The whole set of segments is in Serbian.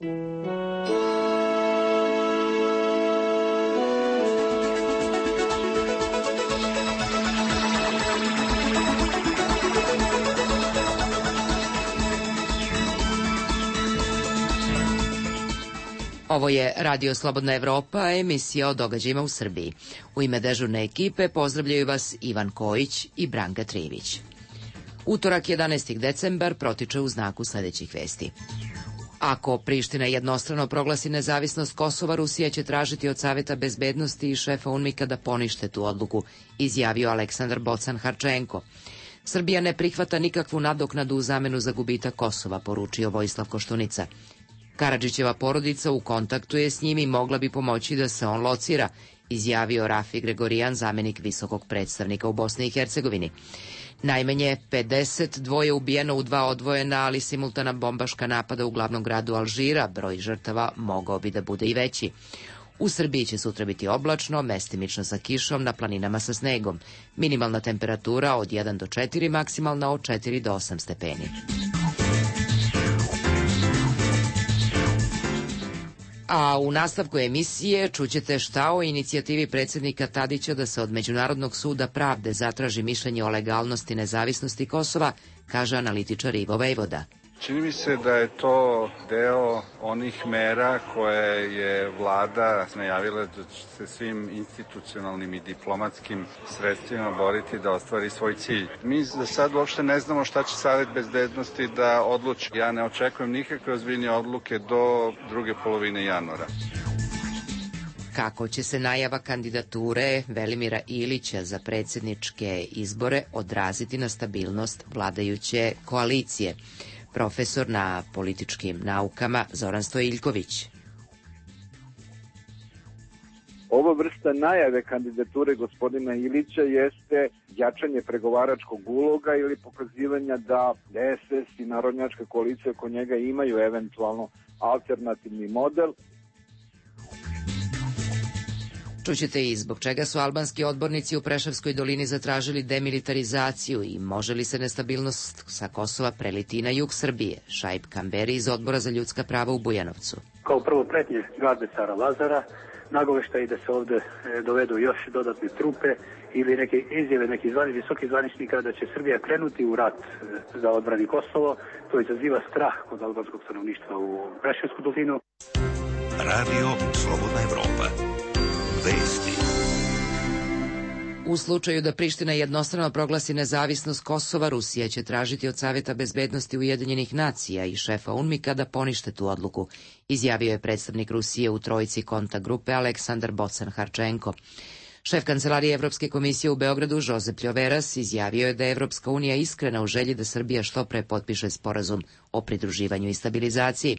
Ovo je Radio Slobodna Evropa, emisija o događajima u Srbiji. U ime dežurne ekipe pozdravljaju vas Ivan Kojić i Branka Trivić. Utorak 11. decembar protiče u znaku sledećih vesti. Ako Priština jednostrano proglasi nezavisnost Kosova, Rusija će tražiti od Saveta bezbednosti i šefa UNMIK-a da ponište tu odluku, izjavio Aleksandar Bocan Harčenko. Srbija ne prihvata nikakvu nadoknadu u zamenu za gubitak Kosova, poručio Vojislav Koštunica. Karadžićeva porodica u kontaktu je s njim i mogla bi pomoći da se on locira, izjavio Rafi Gregorijan, zamenik visokog predstavnika u Bosni i Hercegovini. Najmanje 52 ubijeno u 2 odvojena, ali simultana bombaška napada u glavnom gradu Alžira, broj žrtava mogao bi da bude i veći. U Srbiji će sutra biti oblačno, mestimično sa kišom, na planinama sa snegom. Minimalna temperatura od 1 do 4, maksimalna od 4 do 8 stepeni. A u nastavku emisije čućete šta o inicijativi predsjednika Tadića da se od Međunarodnog suda pravde zatraži mišljenje o legalnosti nezavisnosti Kosova, kaže analitičar Ivo Vejvoda. Čini mi se da je to deo onih mera koje je vlada najavila da će se svim institucionalnim i diplomatskim sredstvima boriti da ostvari svoj cilj. Mi za sad uopšte ne znamo šta će Savet bezbednosti da odluči. Ja ne očekujem nikakve ozbiljne odluke do druge polovine januara. Kako će se najava kandidature Velimira Ilića za predsjedničke izbore odraziti na stabilnost vladajuće koalicije? Profesor na političkim naukama Zoran Stojiljković. Ova vrsta najave kandidature gospodina Ilića jeste jačanje pregovaračkog uloga ili pokazivanja da DSS i narodnjačka koalicija oko njega imaju eventualno alternativni model. Čućete i zbog čega su albanski odbornici u Preševskoj dolini zatražili demilitarizaciju i može li se nestabilnost sa Kosova preliti na jug Srbije. Šaip Kamberi iz Odbora za ljudska prava u Bujanovcu. Kao prvo pretnje garde cara Lazara, nagoveštaj da se ovde dovedu još dodatne trupe ili neke izjave nekih visokih zvaničnika da će Srbija krenuti u rat za odbrani Kosovo. To izaziva strah kod albanskog stanovništva u Preševsku dolinu. Radio Slobodna Evropa. Vesti. U slučaju da Priština jednostrano proglasi nezavisnost Kosova, Rusija će tražiti od Saveta bezbednosti Ujedinjenih nacija i šefa UNMIK-a da ponište tu odluku, izjavio je predstavnik Rusije u trojici kontakt grupe Aleksandar Bocan Harčenko. Šef kancelarije Evropske komisije u Beogradu, Žozep Ljoveras, izjavio je da je Evropska unija iskrena u želji da Srbija što pre potpiše sporazum o pridruživanju i stabilizaciji.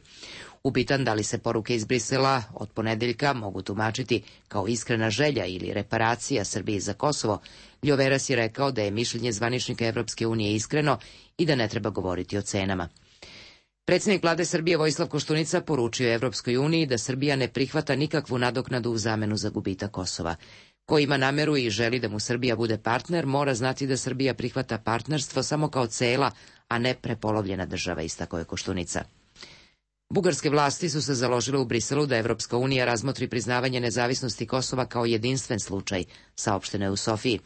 Upitan da li se poruke iz Brisela od ponedeljka mogu tumačiti kao iskrena želja ili reparacija Srbiji za Kosovo, Ljoveras je rekao da je mišljenje zvaničnika Evropske unije iskreno i da ne treba govoriti o cenama. Predsjednik vlade Srbije Vojislav Koštunica poručio je Evropskoj uniji da Srbija ne prihvata nikakvu nadoknadu u zamenu za gubitak Kosova. Ko ima nameru i želi da mu Srbija bude partner, mora znati da Srbija prihvata partnerstvo samo kao cela, a ne prepolovljena država, istakao je Koštunica. Bugarske vlasti su se založile u Briselu da Evropska unija razmotri priznavanje nezavisnosti Kosova kao jedinstven slučaj, saopšteno je u Sofiji.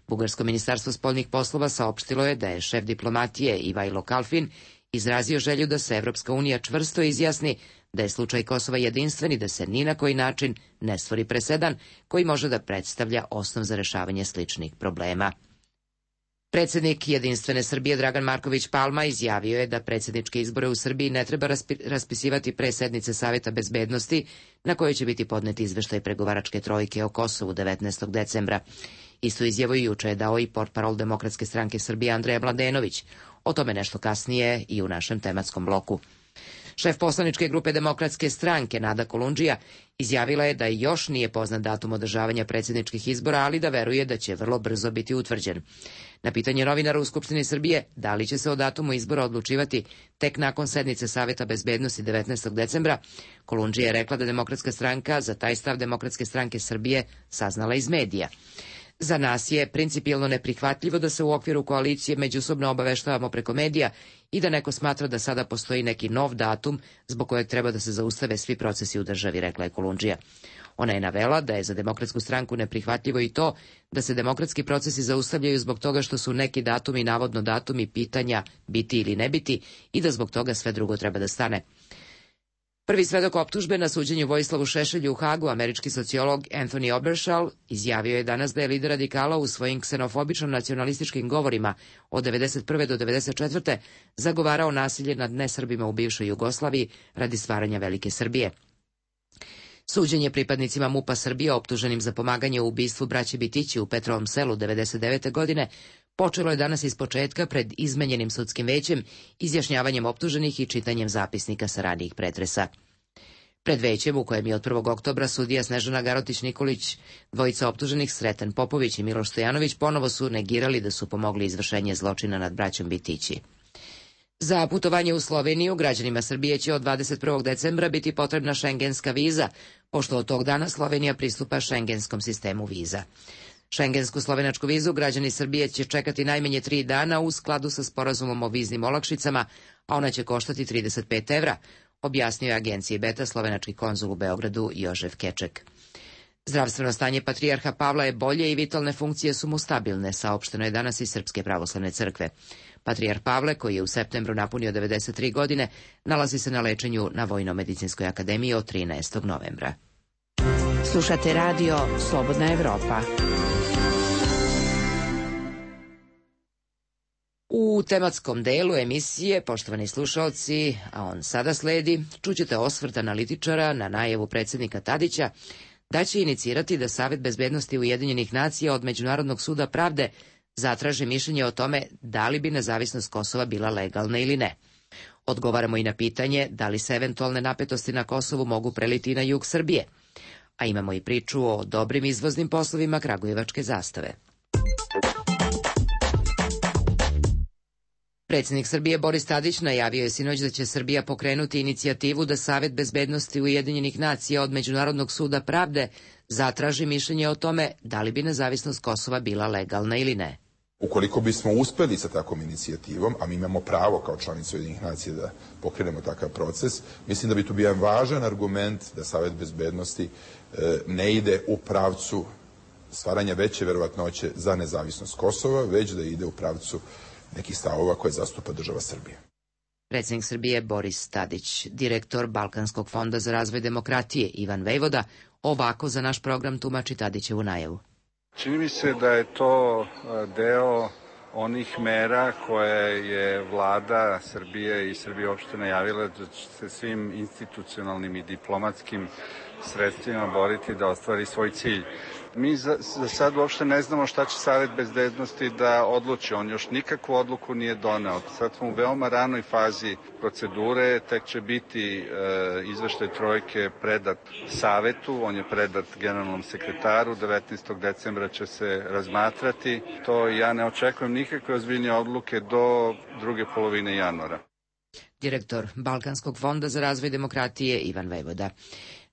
Bugarsko ministarstvo spoljnih poslova saopštilo je da je šef diplomatije Ivajlo Kalfin izrazio želju da se Evropska unija čvrsto izjasni da je slučaj Kosova jedinstven i da se ni na koji način ne stvori presedan koji može da predstavlja osnov za rešavanje sličnih problema. Predsjednik Jedinstvene Srbije Dragan Marković Palma izjavio je da predsjedničke izbore u Srbiji ne treba raspisivati pre sednice Saveta bezbednosti na kojoj će biti podneti izveštaj pregovaračke trojke o Kosovu 19. decembra. Istu izjavu juče je dao i portparol Demokratske stranke Srbije Andreja Mladenović. O tome nešto kasnije i u našem tematskom bloku. Šef poslaničke grupe Demokratske stranke Nada Kolundžija izjavila je da još nije poznat datum održavanja predsjedničkih izbora, ali da veruje da će vrlo brzo biti utvrđen. Na pitanje novinara u Skupštini Srbije da li će se o datumu izbora odlučivati tek nakon sednice Saveta bezbednosti 19. decembra, Kolundžija je rekla da Demokratska stranka za taj stav Demokratske stranke Srbije saznala iz medija. Za nas je principijelno neprihvatljivo da se u okviru koalicije međusobno obaveštavamo preko medija i da neko smatra da sada postoji neki nov datum zbog kojeg treba da se zaustave svi procesi u državi, rekla je Kolundžija. Ona je navela da je za Demokratsku stranku neprihvatljivo i to da se demokratski procesi zaustavljaju zbog toga što su neki datumi, navodno datumi pitanja biti ili ne biti, i da zbog toga sve drugo treba da stane. Prvi svedok optužbe na suđenju Vojislavu Šešelju u Hagu, američki sociolog Anthony Obershall, izjavio je danas da je lider radikala u svojim ksenofobično nacionalističkim govorima od 1991. do 1994. zagovarao nasilje nad nesrbima u bivšoj Jugoslaviji radi stvaranja Velike Srbije. Suđenje pripadnicima MUP-a Srbije optuženim za pomaganje u ubistvu braće Bitići u Petrovom Selu 1999. godine počelo je danas ispočetka pred izmenjenim sudskim većem, izjašnjavanjem optuženih i čitanjem zapisnika sa ranijih pretresa. Pred većem, u kojem je od 1. oktobra sudija Snežana Garotić-Nikolić, dvojica optuženih Sreten Popović i Miloš Stojanović ponovo su negirali da su pomogli izvršenje zločina nad braćom Bitići. Za putovanje u Sloveniju građanima Srbije će od 21. decembra biti potrebna šengenska viza, pošto od tog dana Slovenija pristupa šengenskom sistemu viza. Šengensku slovenačku vizu građani Srbije će čekati najmanje 3 dana u skladu sa sporazumom o viznim olakšicama, a ona će koštati 35 evra, objasnio je agenciji Beta slovenački konzul u Beogradu Jožef Keček. Zdravstveno stanje patrijarha Pavla je bolje i vitalne funkcije su mu stabilne, saopšteno je danas iz Srpske pravoslavne crkve. Patrijarh Pavle, koji je u septembru napunio 93 godine, nalazi se na lečenju na Vojno-medicinskoj akademiji od 13. novembra. Slušate radio Slobodna Evropa. U tematskom delu emisije, poštovani slušalci, a on sada sledi, čućete osvrt analitičara na najavu predsjednika Tadića da će inicirati da Savet bezbednosti Ujedinjenih nacija od Međunarodnog suda pravde zatraži mišljenje o tome da li bi nezavisnost Kosova bila legalna ili ne. Odgovaramo i na pitanje da li se eventualne napetosti na Kosovu mogu preliti i na jug Srbije. A imamo i priču o dobrim izvoznim poslovima kragujevačke zastave. Predsjednik Srbije Boris Tadić najavio je sinoć da će Srbija pokrenuti inicijativu da Savet bezbednosti Ujedinjenih nacija od Međunarodnog suda pravde zatraži mišljenje o tome da li bi nezavisnost Kosova bila legalna ili ne. Ukoliko bismo uspeli sa takvom inicijativom, a mi imamo pravo kao članice Ujedinjenih nacija da pokrenemo takav proces, mislim da bi tu bio jedan važan argument da Savet bezbednosti ne ide u pravcu stvaranja veće verovatnoće za nezavisnost Kosova, već da ide u pravcu nekih stavova koje zastupa država Srbije. Predsjednik Srbije Boris Tadić, direktor Balkanskog fonda za razvoj demokratije Ivan Vejvoda, ovako za naš program tumači Tadićevu najavu. Čini mi se da je to deo onih mera koje je vlada Srbije i Srbije uopšte najavila da će se svim institucionalnim i diplomatskim sredstvima boriti da ostvari svoj cilj. Mi za sad uopšte ne znamo šta će Savet bezbednosti da odluči. On još nikakvu odluku nije doneo. Sad smo u veoma ranoj fazi procedure, tek će biti izveštaj trojke predat Savetu, on je predat generalnom sekretaru, 19. decembra će se razmatrati. To ja ne očekujem nikakve ozbiljnije odluke do druge polovine januara. Direktor Balkanskog fonda za razvoj demokratije Ivan Vejvoda.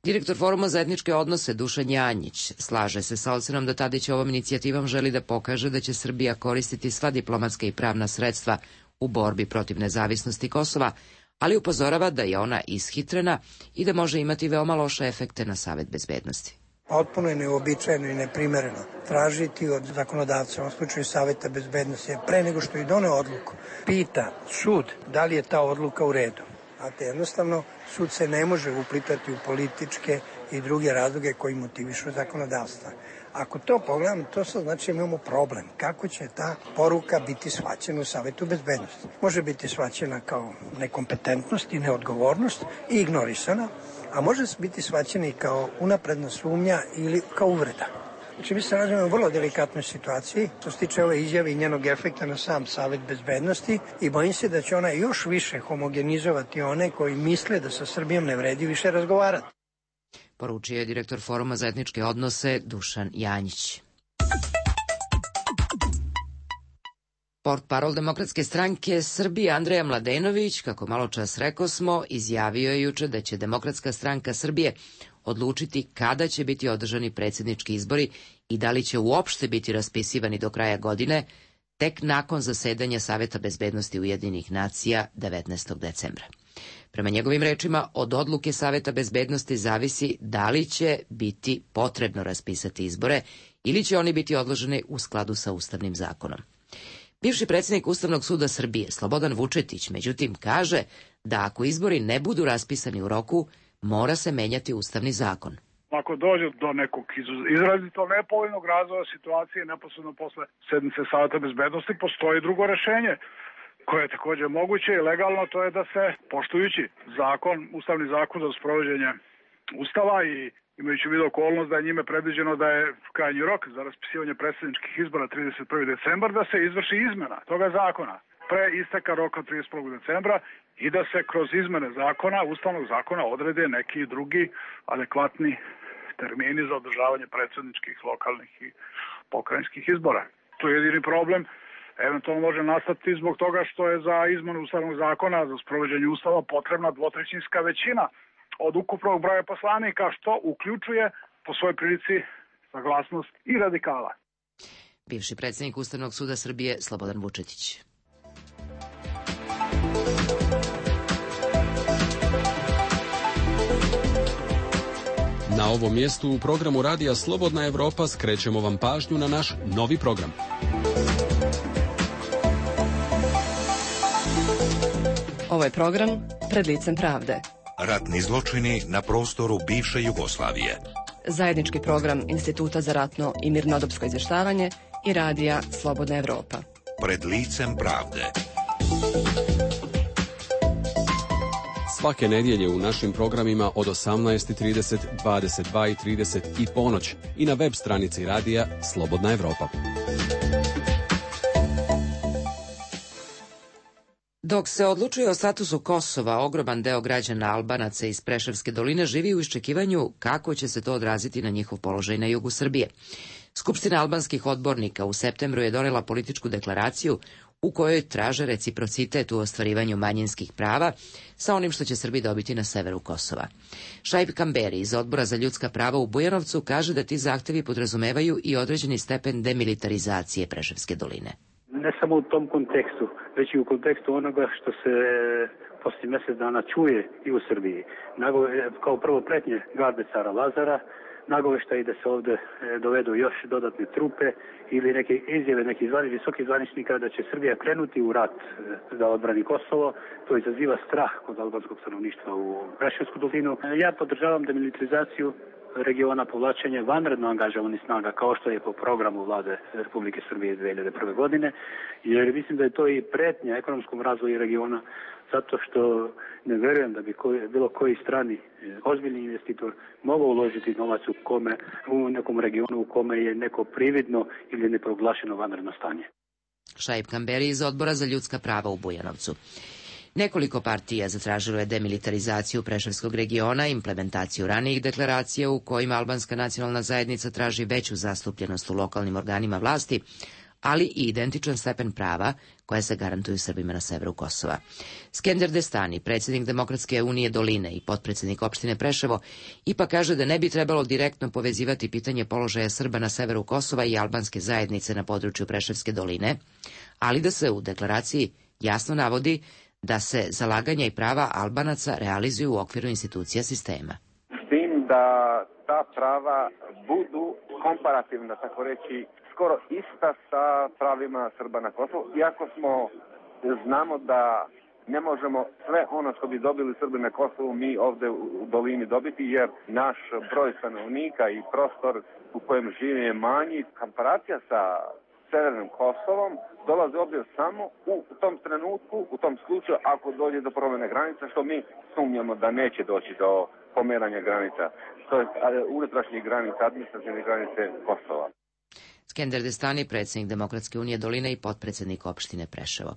Direktor Foruma za etničke odnose Dušan Janjić slaže se sa ocenom da Tadić ovom inicijativom želi da pokaže da će Srbija koristiti sva diplomatska i pravna sredstva u borbi protiv nezavisnosti Kosova, ali upozorava da je ona ishitrena i da može imati veoma loše efekte na Savet bezbednosti. Potpuno je neuobičajeno i neprimereno tražiti od zakonodavca, u slučaju Saveta bezbednosti, pre nego što i doneo odluku, pita sud da li je ta odluka u redu. Znate, jednostavno, sud se ne može uplitati u političke i druge razloge koji motivišu zakonodavstva. Ako to pogledam, to sad znači imamo problem. Kako će ta poruka biti shvaćena u Savetu bezbednosti? Može biti shvaćena kao nekompetentnost i neodgovornost i ignorisana, a može biti shvaćena i kao unapredna sumnja ili kao uvreda. Znači, mi se nalazimo u vrlo delikatnoj situaciji što se tiče ove izjave i njenog efekta na sam Savet bezbednosti i bojim se da će ona još više homogenizovati one koji misle da sa Srbijom ne vredi više razgovarati. Poručio je direktor Foruma za etničke odnose Dušan Janjić. Portparol Demokratske stranke Srbije Andreja Mladenović, kako malo čas rekosmo, izjavio je juče da će Demokratska stranka Srbije odlučiti kada će biti održani predsjednički izbori i da li će uopšte biti raspisivani do kraja godine, tek nakon zasedanja Saveta bezbednosti Ujedinjenih nacija 19. decembra. Prema njegovim rečima, od odluke Saveta bezbednosti zavisi da li će biti potrebno raspisati izbore ili će oni biti odloženi u skladu sa Ustavnim zakonom. Bivši predsjednik Ustavnog suda Srbije, Slobodan Vučetić, međutim, kaže da ako izbori ne budu raspisani u roku, mora se menjati Ustavni zakon. Ako dođe do nekog izrazito nepovoljnog razvoja situacije neposredno posle sednice Saveta bezbednosti, postoji drugo rešenje koje je također moguće i legalno, to je da se, poštujući zakon, Ustavni zakon za sprovođenje Ustava i imajući u vidu okolnost da je njime predviđeno da je krajnji rok za raspisivanje predsjedničkih izbora 31. decembar, da se izvrši izmena toga zakona pre isteka roka 31. decembra i da se kroz izmene zakona, Ustavnog zakona, odrede neki drugi adekvatni termini za održavanje predsjedničkih, lokalnih i pokrajinskih izbora. To je jedini problem. Eventualno može nastati zbog toga što je za izmenu Ustavnog zakona, za sprovođenje Ustava potrebna dvotrećinska većina od ukupnog broja poslanika, što uključuje po svojoj prilici saglasnost i radikala. Bivši predsjednik Ustavnog suda Srbije Slobodan Vučetić. Na ovom mjestu u programu Radija Slobodna Evropa skrećemo vam pažnju na naš novi program. Ovo je program Pred licem pravde. Ratni zločini na prostoru bivše Jugoslavije. Zajednički program Instituta za ratno i mirnodopsko izvještavanje i Radija Slobodna Evropa. Pred licem pravde. Svake nedjelje u našim programima od 18:30, 22:30 i ponoć i na web stranici Radija Slobodna Evropa. Dok se odlučuje o statusu Kosova, ogroman deo građana Albanaca iz Preševske doline živi u iščekivanju kako će se to odraziti na njihov položaj na jugu Srbije. Skupština albanskih odbornika u septembru je donela političku deklaraciju u kojoj traže reciprocitet u ostvarivanju manjinskih prava sa onim što će Srbi dobiti na severu Kosova. Šaip Kamberi iz Odbora za ljudska prava u Bujanovcu kaže da ti zahtevi podrazumevaju i određeni stepen demilitarizacije Preševske doline. Ne samo u tom kontekstu, već i u kontekstu onoga što se poslije mjesec dana čuje i u Srbiji. Kao prvo pretnje garde cara Lazara, nagoveštaj da se ovdje dovedu još dodatne trupe ili neke izjave nekih visokih zvaničnika da će Srbija krenuti u rat za odbrani Kosovo. To izaziva strah kod albanskog stanovništva u Preševsku dolinu. Ja podržavam demilitarizaciju regiona, povlačenje vanredno angažovanih snaga kao što je po programu vlade Republike Srbije 2001. godine, jer mislim da je to i pretnja ekonomskom razvoju regiona, zato što ne vjerujem da bi bilo koji strani ozbiljni investitor mogao uložiti novac u nekom regionu u kome je neko prividno ili neproglašeno vanredno stanje. Šaip Kamberi iz Odbora za ljudska prava u Bujanovcu. Nekoliko partija zatražilo je demilitarizaciju Preševskog regiona, implementaciju ranijih deklaracija u kojima albanska nacionalna zajednica traži veću zastupljenost u lokalnim organima vlasti, ali i identičan stepen prava koja se garantuju Srbima na severu Kosova. Skender Destani, predsjednik Demokratske unije Doline i potpredsjednik opštine Preševo, ipak kaže da ne bi trebalo direktno povezivati pitanje položaja Srba na severu Kosova i albanske zajednice na području Preševske doline, ali da se u deklaraciji jasno navodi da se zalaganja i prava Albanaca realizuju u okviru institucija sistema. S tim da ta prava budu komparativna, tako reći, skoro ista sa pravima Srba na Kosovu, iako znamo da ne možemo sve ono što bi dobili Srbi na Kosovu mi ovdje u dolini dobiti, jer naš broj stanovnika i prostor u kojem žive je manji. Komparacija sa severnim Kosovom dolazi ovdje samo u tom trenutku, u tom slučaju, ako dođe do promjene granica, što mi sumnjamo da neće doći do pomeranja granica, to je unutrašnjih granica, administrativne granice Kosova. Skender Destani, predsjednik Demokratske unije Doline i potpredsjednik opštine Preševo.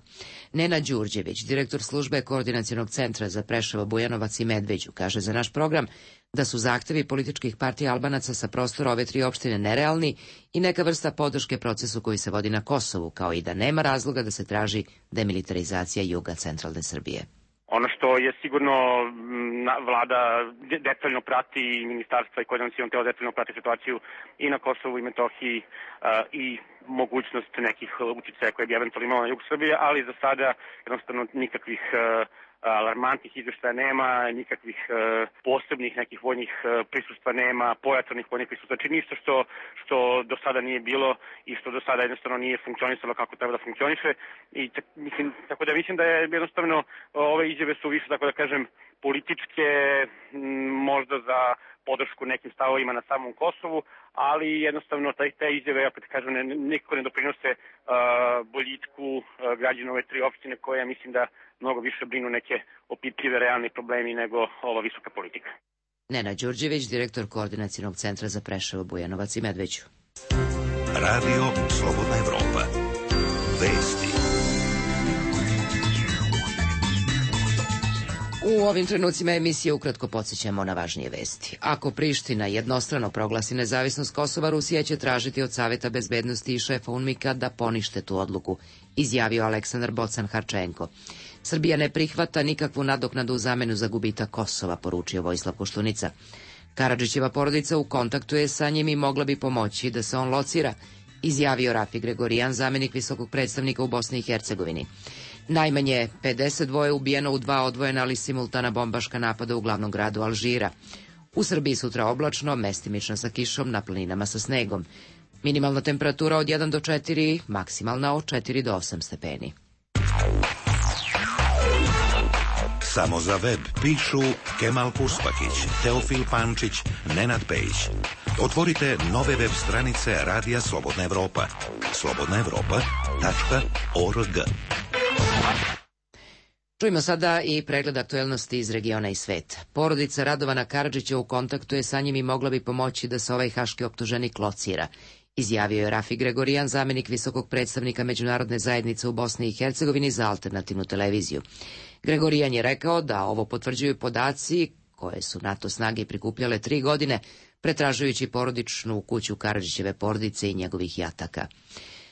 Nenad Đurđević, direktor službe Koordinacionog centra za Preševo, Bujanovac i Medveđu, kaže za naš program da su zahtevi političkih partija Albanaca sa prostora ove 3 opštine nerealni i neka vrsta podrške procesu koji se vodi na Kosovu, kao i da nema razloga da se traži demilitarizacija juga centralne Srbije. Ono što je sigurno vlada detaljno prati i ministarstva i koordinaciono telo detaljno prati situaciju i na Kosovu i Metohiji i mogućnost nekih uticaja koje bi eventualno imalo na jug Srbije, ali za sada jednostavno nikakvih alarmantnih izveštaja nema, nikakvih posebnih nekih vojnih prisustva nema, pojačanih vojnih prisustva, znači ništa što do sada nije bilo i što do sada jednostavno nije funkcionisalo kako treba da funkcioniše. I mislim da je jednostavno ove izjave su više, tako da kažem, političke, možda za podršku nekim stavovima na samom Kosovu, ali jednostavno te izjave, opet kažem, nikako ne doprinose boljitku građana ove 3 opštine koje mislim da mnogo više brinu neke opipljive realni problemi nego ova visoka politika. Nenad Đurđević, direktor Koordinacionog centra za Preševo, Bujanovac i Medveđu. Radio Slobodna Evropa. Vesti. U ovim trenucima emisije ukratko podsjećamo na važnije vesti. Ako Priština jednostrano proglasi nezavisnost Kosova, Rusija će tražiti od Saveta bezbednosti i šefa UNMIK-a da ponište tu odluku, izjavio Aleksandar Bocan-Harčenko. Srbija ne prihvata nikakvu nadoknadu u zamenu za gubitak Kosova, poručio Vojislav Koštunica. Karadžićeva porodica u kontaktu je sa njim i mogla bi pomoći da se on locira, izjavio Rafi Gregorijan, zamenik visokog predstavnika u Bosni i Hercegovini. Najmanje 52 ubijeno u 2 odvojena ali simultana bombaška napada u glavnom gradu Alžira. U Srbiji sutra oblačno, mestimično sa kišom, na planinama sa snegom. Minimalna temperatura od 1 do 4, maksimalna od 4 do 8 stepeni. Samo za web pišu Kemal Puspakić, Teofil Pančić, Nenad Pejić. Otvorite nove web stranice Radija Slobodna Evropa. slobodnaevropa.org. Čujemo sada i pregled aktuelnosti iz regiona i sveta. Porodica Radovana Karadžića u kontaktu je sa njim i mogla bi pomoći da se ovaj haški optuženik locira, izjavio je Rafi Gregorijan, zamenik visokog predstavnika međunarodne zajednice u Bosni i Hercegovini za alternativnu televiziju. Gregorijan je rekao da ovo potvrđuju podaci koje su NATO snage prikupljale 3 godine, pretražujući porodičnu kuću Karadžićeve porodice i njegovih jataka.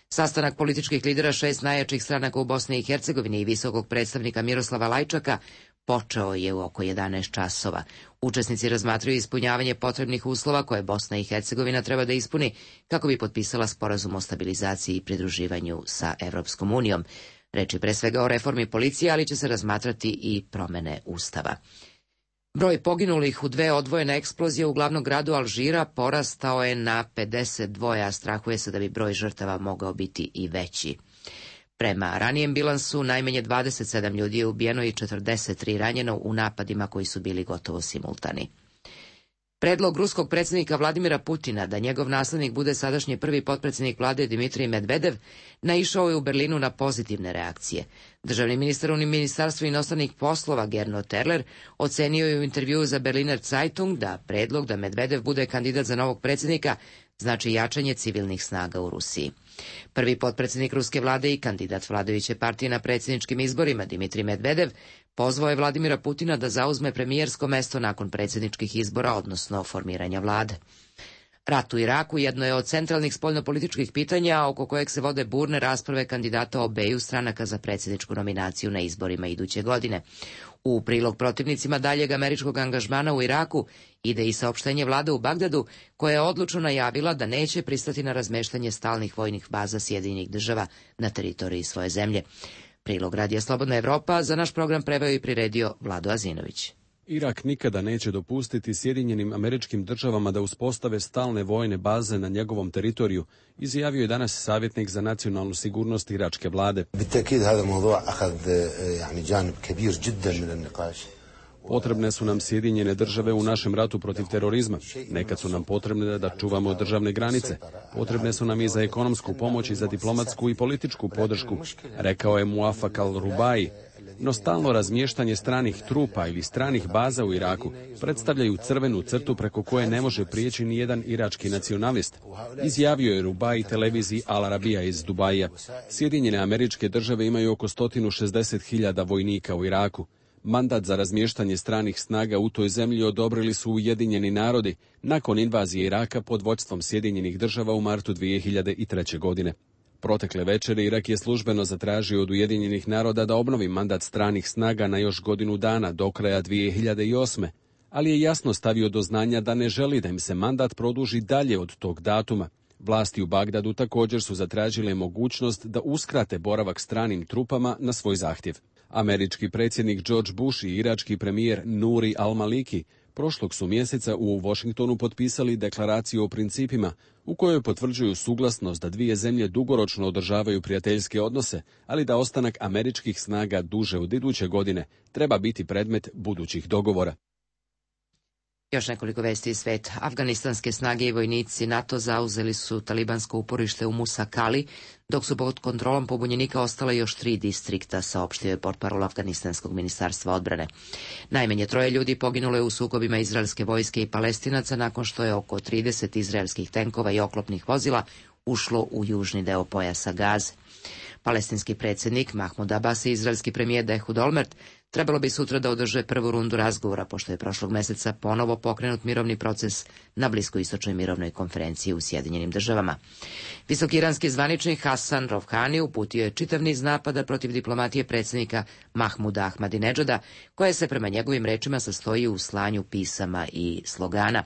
Sastanak političkih lidera 6 najjačih stranaka u Bosni i Hercegovini i visokog predstavnika Miroslava Lajčaka počeo je u oko 11 časova. Učesnici razmatraju ispunjavanje potrebnih uslova koje Bosna i Hercegovina treba da ispuni kako bi potpisala sporazum o stabilizaciji i pridruživanju sa Evropskom unijom. Reč je pre svega o reformi policije, ali će se razmatrati i promene ustava. Broj poginulih u 2 odvojene eksplozije u glavnom gradu Alžira porastao je na 52, a strahuje se da bi broj žrtava mogao biti i veći. Prema ranijem bilansu, najmanje 27 ljudi je ubijeno i 43 ranjeno u napadima koji su bili gotovo simultani. Predlog ruskog predsjednika Vladimira Putina da njegov naslednik bude sadašnji prvi potpredsjednik vlade Dimitrij Medvedev naišao je u Berlinu na pozitivne reakcije. Državni ministar u Ministarstvu inostranih poslova Gernot Terler ocenio je u intervjuu za Berliner Zeitung da predlog da Medvedev bude kandidat za novog predsjednika znači jačanje civilnih snaga u Rusiji. Prvi potpredsjednik ruske vlade i kandidat vladajuće partije na predsjedničkim izborima Dimitrij Medvedev pozvao je Vladimira Putina da zauzme premijersko mesto nakon predsjedničkih izbora, odnosno formiranja vlade. Rat u Iraku jedno je od centralnih spoljnopolitičkih pitanja oko kojeg se vode burne rasprave kandidata obeju stranaka za predsjedničku nominaciju na izborima iduće godine. U prilog protivnicima daljeg američkog angažmana u Iraku ide i saopštenje vlade u Bagdadu, koja je odlučno najavila da neće pristati na razmeštanje stalnih vojnih baza Sjedinjenih država na teritoriji svoje zemlje. Prilog Radija Slobodna Evropa za naš program preveo i priredio Vlado Azinović. Irak nikada neće dopustiti Sjedinjenim Američkim Državama da uspostave stalne vojne baze na njegovom teritoriju, izjavio je danas savjetnik za nacionalnu sigurnost iračke vlade. Potrebne su nam Sjedinjene Države u našem ratu protiv terorizma. Nekad su nam potrebne da čuvamo državne granice. Potrebne su nam i za ekonomsku pomoć i za diplomatsku i političku podršku, rekao je Muafak al-Rubai, no stalno razmještanje stranih trupa ili stranih baza u Iraku predstavljaju crvenu crtu preko koje ne može prijeći ni jedan irački nacionalist, izjavio je Rubai televiziji Al Arabija iz Dubaija. Sjedinjene Američke Države imaju oko 160.000 vojnika u Iraku. Mandat za razmještanje stranih snaga u toj zemlji odobrili su Ujedinjeni narodi nakon invazije Iraka pod vodstvom Sjedinjenih Država u martu 2003. godine. Protekle večeri Irak je službeno zatražio od Ujedinjenih naroda da obnovi mandat stranih snaga na još godinu dana do kraja 2008. ali je jasno stavio do znanja da ne želi da im se mandat produži dalje od tog datuma. Vlasti u Bagdadu također su zatražile mogućnost da uskrate boravak stranim trupama na svoj zahtjev. Američki predsjednik George Bush i irački premijer Nuri al-Maliki prošlog su mjeseca u Washingtonu potpisali deklaraciju o principima u kojoj potvrđuju suglasnost da dvije zemlje dugoročno održavaju prijateljske odnose, ali da ostanak američkih snaga duže od iduće godine treba biti predmet budućih dogovora. Još nekoliko vesti iz sveta. Afganistanske snage i vojnici NATO zauzeli su talibansko uporište u Musa Kali, dok su pod kontrolom pobunjenika ostala još 3 distrikta, saopštio je portparol Afganistanskog ministarstva odbrane. Najmanje 3 ljudi poginulo je u sukobima izraelske vojske i Palestinaca nakon što je oko 30 izraelskih tenkova i oklopnih vozila ušlo u južni deo pojasa Gaze. Palestinski predsjednik Mahmud Abbas i izraelski premijer Ehud Olmert trebalo bi sutra da održe prvu rundu razgovora, pošto je prošlog meseca ponovo pokrenut mirovni proces na bliskoistočnoj mirovnoj konferenciji u Sjedinjenim Državama. Visoki iranski zvaničnik Hasan Rouhani uputio je čitav niz napada protiv diplomatije predsjednika Mahmuda Ahmadinedžada, koja se prema njegovim rečima sastoji u slanju pisama i slogana.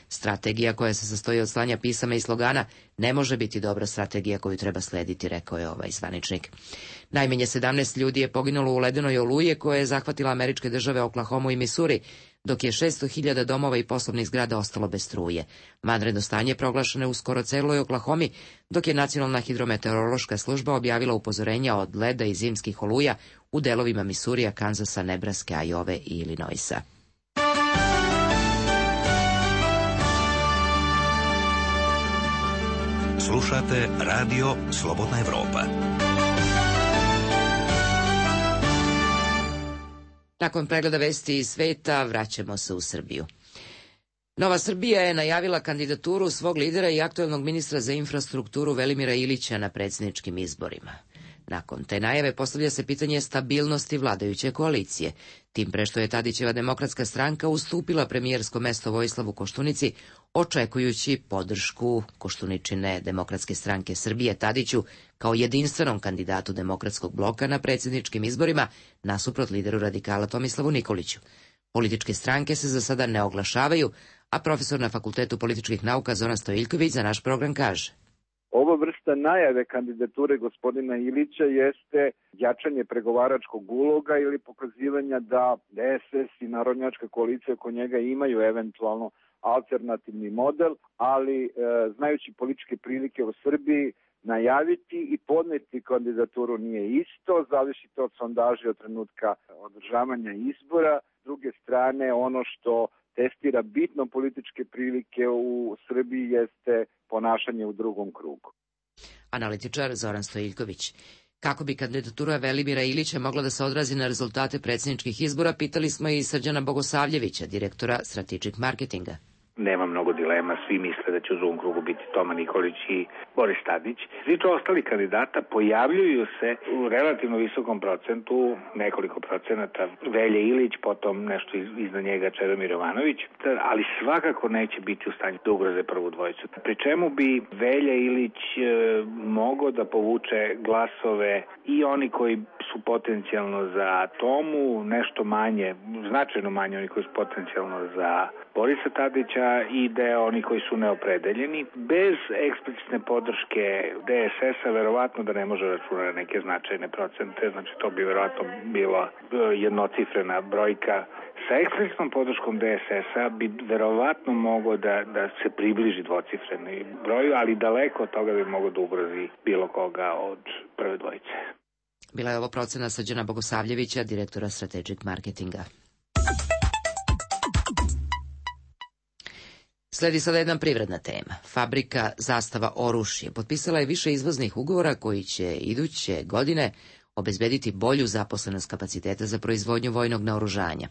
Strategija koja se sastoji od slanja pisama i slogana ne može biti dobra strategija koju treba slediti, rekao je ovaj zvaničnik. Najmanje 17 ljudi je poginulo u ledenoj oluje koja je zahvatila američke države Oklahomu i Misuri, dok je 600.000 domova i poslovnih zgrada ostalo bez struje. Vanredno stanje proglašeno je u skoro celoj Oklahomi, dok je Nacionalna hidrometeorološka služba objavila upozorenja od leda i zimskih oluja u delovima Misurija, Kanzasa, Nebraske, Ajove i Illinoisa. Slušate Radio Slobodna Evropa. Nakon pregleda vesti iz sveta vraćamo se u Srbiju. Nova Srbija je najavila kandidaturu svog lidera i aktuelnog ministra za infrastrukturu Velimira Ilića na predsjedničkim izborima. Nakon te najave postavlja se pitanje stabilnosti vladajuće koalicije, tim pre što je Tadićeva Demokratska stranka ustupila premijersko mesto Vojislavu Koštunici, očekujući podršku Koštuničine Demokratske stranke Srbije Tadiću kao jedinstvenom kandidatu Demokratskog bloka na predsjedničkim izborima nasuprot lideru radikala Tomislavu Nikoliću. Političke stranke se za sada ne oglašavaju, a profesor na Fakultetu političkih nauka Zoran Stojiljković za naš program kaže: Ova vrsta najave kandidature gospodina Ilića jeste jačanje pregovaračkog uloga ili pokazivanja da DSS i Narodnjačka koalicija oko njega imaju eventualno alternativni model, ali znajući političke prilike u Srbiji, najaviti i podneti kandidaturu nije isto, zavisi to od sondaži od trenutka održavanja izbora. S druge strane, ono što testira bitno političke prilike u Srbiji jeste ponašanje u drugom krugu. Analitičar Zoran Stojiljković. Kako bi kandidatura Velimira Ilića mogla da se odrazi na rezultate predsjedničkih izbora, pitali smo i Srđana Bogosavljevića, direktora Strategic Marketinga. Nema mnogo dilema, svi misle da će u drugom krugu biti Toma Nikolić i Boris Tadić. Svi to ostali kandidata pojavljuju se u relativno visokom procentu, nekoliko procenata, Velja Ilić, potom nešto iznad njega Čedomir Jovanović, ali svakako neće biti u stanju da ugroze prvu dvojicu. Pri čemu bi Velja Ilić mogao da povuče glasove i oni koji su potencijalno za Tomu, nešto manje, značajno manje oni koji su potencijalno za Borisa Tadića i deo oni koji su neopredeljeni. Bez eksplicitne podrške DSS-a verovatno da ne može računati neke značajne procente, znači to bi verovatno bila jednocifrena brojka. Sa eksplicitnom podrškom DSS-a bi verovatno mogao da se približi dvocifreni broju, ali daleko od toga bi mogao da ugrozi bilo koga od prve dvojice. Bila je ovo procena Srđana Bogosavljevića, direktora Strategic Marketinga. Sledi sada jedna privredna tema. Fabrika Zastava Oruš je potpisala je više izvoznih ugovora koji će iduće godine obezbediti bolju zaposlenost kapaciteta za proizvodnju vojnog naoružanja.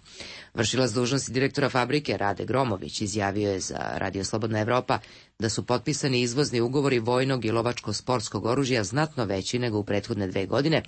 Vršilac dužnosti direktora fabrike Rade Gromović izjavio je za Radio Slobodna Evropa da su potpisani izvozni ugovori vojnog i lovačko-sportskog oružja znatno veći nego u prethodne 2 godine,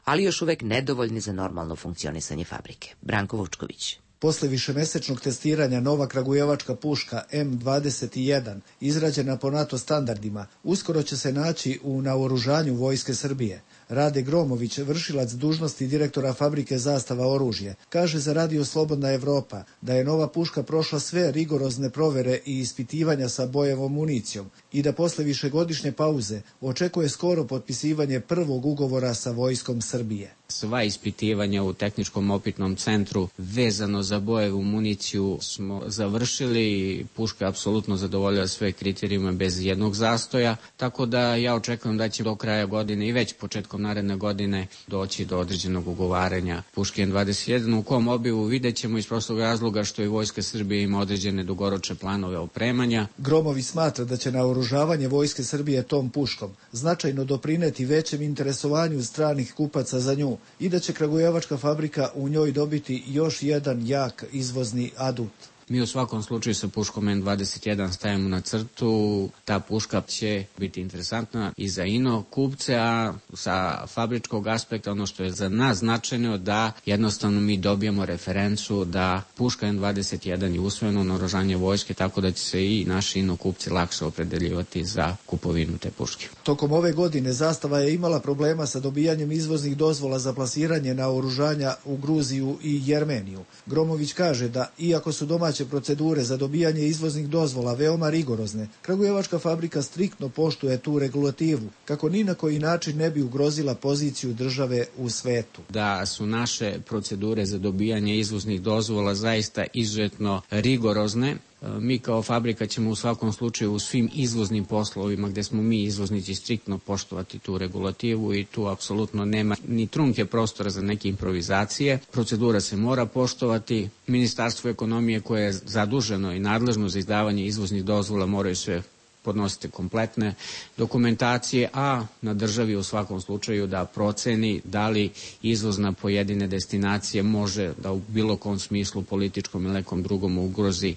ali još uvek nedovoljni za normalno funkcionisanje fabrike. Branko Vučković. Posle višemesečnog testiranja nova kragujevačka puška M21, izrađena po NATO standardima, uskoro će se naći u naoružanju Vojske Srbije. Rade Gromović, vršilac dužnosti direktora fabrike Zastava oružje, kaže za Radio Slobodna Evropa da je nova puška prošla sve rigorozne provere i ispitivanja sa bojevom municijom i da posle višegodišnje pauze očekuje skoro potpisivanje prvog ugovora sa Vojskom Srbije. Sva ispitivanja u tehničkom opitnom centru vezano za bojevu municiju smo završili i puška je apsolutno zadovoljila sve kriterijume bez jednog zastoja, tako da ja očekujem da će do kraja godine i već početkom naredne godine doći do određenog ugovaranja puške M21, u kom obimu vidjet ćemo iz prostog razloga što i Vojska Srbije ima određene dugoročne planove opremanja. Gromović smatra da će naoružavanje Vojske Srbije tom puškom značajno doprineti većem interesovanju stranih kupaca za nju i da će kragujevačka fabrika u njoj dobiti još jedan jak izvozni adut. Mi u svakom slučaju sa puškom M21 stavimo na crtu. Ta puška će biti interesantna i za ino kupce, a sa fabričkog aspekta ono što je za nas značajno da jednostavno mi dobijemo referencu da puška M21 je usvojeno naoružanje vojske, tako da će se i naši ino kupci lakše opredeljivati za kupovinu te puške. Tokom ove godine Zastava je imala problema sa dobijanjem izvoznih dozvola za plasiranje naoružanja u Gruziju i Jermeniju. Gromović kaže da iako su domaće procedure za dobijanje izvoznih dozvola veoma rigorozne, kragujevačka fabrika striktno poštuje tu regulativu, kako ni na koji način ne bi ugrozila poziciju države u svetu. Da su naše procedure za dobijanje izvoznih dozvola zaista izuzetno rigorozne. Mi kao fabrika ćemo u svakom slučaju u svim izvoznim poslovima gde smo mi izvoznici striktno poštovati tu regulativu i tu apsolutno nema ni trunke prostora za neke improvizacije. Procedura se mora poštovati. Ministarstvo ekonomije koje je zaduženo i nadležno za izdavanje izvoznih dozvola moraju sve podnositi kompletne dokumentacije, a na državi u svakom slučaju da proceni da li izvoz na pojedine destinacije može da u bilo kom smislu političkom ili nekom drugom ugrozi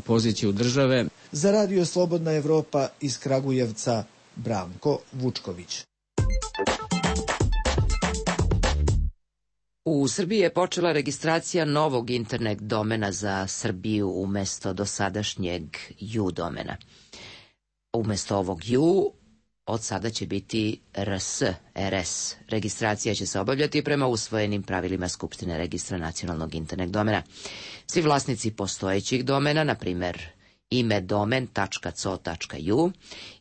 poziciju države. Za Radio Slobodna Evropa iz Kragujevca, Branko Vučković. U Srbiji je počela registracija novog internet domena za Srbiju umesto dosadašnjeg U domena. Umesto ovog U, od sada će biti RS. Registracija će se obavljati prema usvojenim pravilima Skupštine registra nacionalnog internet domena. Svi vlasnici postojećih domena, na primjer imedomen.co.ju,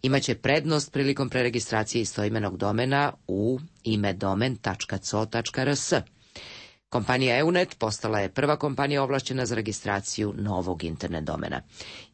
imaće prednost prilikom preregistracije istoimenog domena u imedomen.co.rs. Kompanija EUNET postala je prva kompanija ovlašćena za registraciju novog internet domena.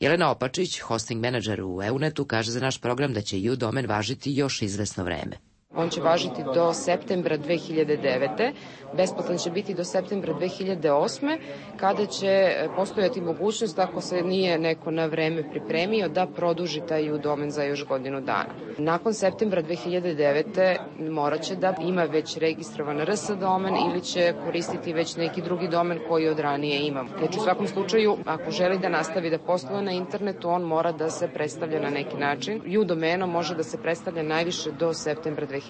Jelena Opačić, hosting menadžer u EUNET-u, kaže za naš program da će U domen važiti još izvesno vreme. On će važiti do septembra 2009. Besplatan će biti do septembra 2008. kada će postojati mogućnost, ako se nije neko na vreme pripremio, da produži taj U domen za još godinu dana. Nakon septembra 2009. morat će da ima već registrovan RS domen ili će koristiti već neki drugi domen koji od ranije imamo. Znači u svakom slučaju, ako želi da nastavi da posluje na internetu, on mora da se predstavlja na neki način. U domenom može da se predstavlja najviše do septembra 2009.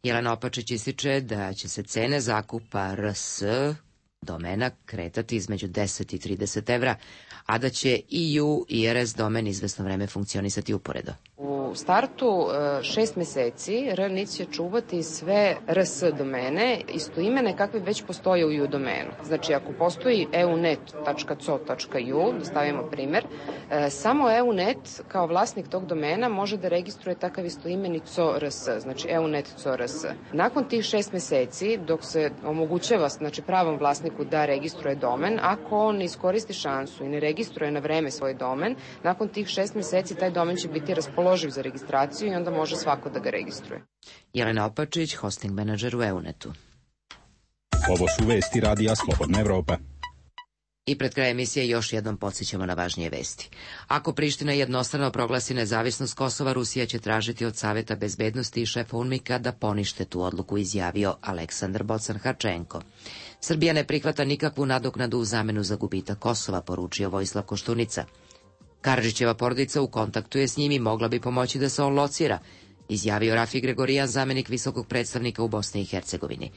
Jelena Opačić ističe da će se cene zakupa RS domena kretati između 10 i 30 evra, a da će i U i RS domen izvesno vreme funkcionisati uporedo. U startu 6 meseci RNIC će čuvati sve RS domene istoimene kakve već postoje u U domenu. Znači, ako postoji eunet.co.ju, da stavimo primer, samo EUNET kao vlasnik tog domena može da registruje takav istoimeni CORS, znači EUNET CORS. Nakon tih 6 meseci, dok se omogućava pravom vlasniku da registruje domen, ako on iskoristi šansu i ne registruje na vreme svoj domen, nakon tih 6 meseci taj domen će biti raspoloživ za registraciju i onda može svako da ga registruje. Jelena Opačić, hosting menadžer u EUNET-u. Ovo su vesti Radija Slobodna Evropa. I pred kraj emisije još jednom podsjećamo na važnije vesti. Ako Priština jednostrano proglasi nezavisnost Kosova, Rusija će tražiti od Saveta bezbednosti i šefa UNMIK-a da ponište tu odluku, izjavio Aleksandar Bocan-Harčenko. Srbija ne prihvata nikakvu nadoknadu u zamenu za gubitak Kosova, poručio Vojislav Koštunica. Karadžićeva porodica u kontaktu je s njim i mogla bi pomoći da se on locira, izjavio Rafi Gregorijan, zamenik visokog predstavnika u Bosni i Hercegovini.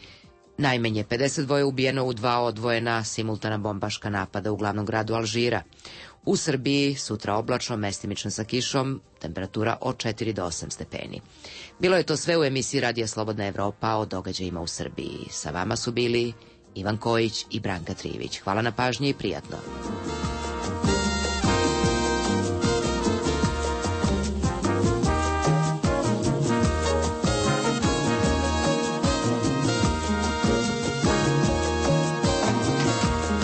Najmanje 52 ubijeno u 2 odvojena simultana bombaška napada u glavnom gradu Alžira. U Srbiji sutra oblačno, mestimično sa kišom, temperatura od 4 do 8 stepeni. Bilo je to sve u emisiji Radija Slobodna Evropa o događajima u Srbiji. Sa vama su bili Ivan Kojić i Branka Trivić. Hvala na pažnji i prijatno.